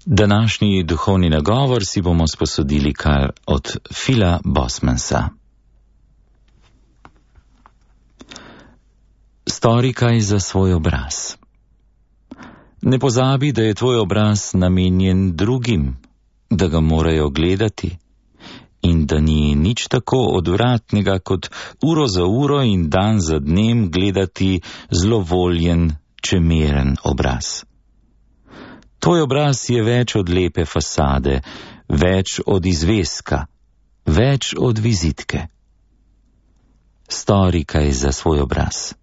Današnji duhovni nagovor si bomo sposodili kar od Phila Bosmansa. Stori kaj za svoj obraz. Ne pozabi, da je tvoj obraz namenjen drugim, da ga morajo gledati in da ni nič tako odvratnega, kot uro za uro in dan za dnem gledati zlovoljen, čemeren obraz. Tvoj obraz je več od lepe fasade, več od izveska, več od vizitke. Stori kaj za svoj obraz.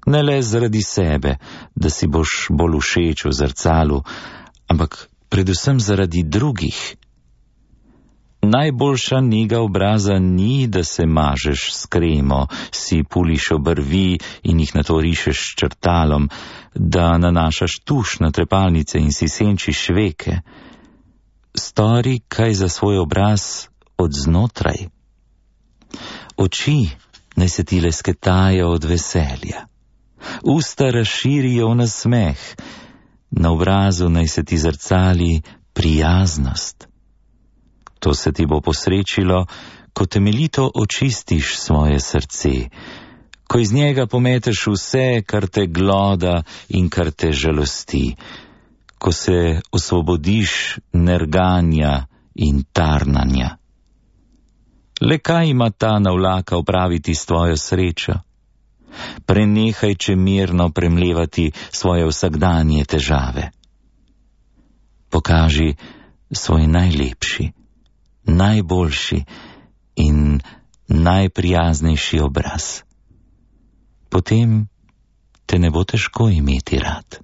Ne le zaradi sebe, da si boš bolj všeč v zrcalu, ampak predvsem zaradi drugih. Najboljša nega obraza ni, da se mažeš s kremo, si puliš obrvi in jih nato rišeš s črtalom, da nanašaš tuš na trepalnice in si senčiš veke. Stori kaj za svoj obraz od znotraj. Oči naj se ti lesketajo od veselja. Usta razširijo v nasmeh, na obrazu naj se ti zrcali prijaznost. To se ti bo posrečilo, ko temeljito očistiš svoje srce, ko iz njega pometeš vse, kar te gloda in kar te žalosti, ko se osvobodiš nerganja in tarnanja. Le kaj ima ta navlaka opraviti s tvojo srečo? Prenehaj čemerno premlevati svoje vsakdanje težave. Pokaži svoj najlepši, najboljši in najprijaznejši obraz. Potem te ne bo težko imeti rad.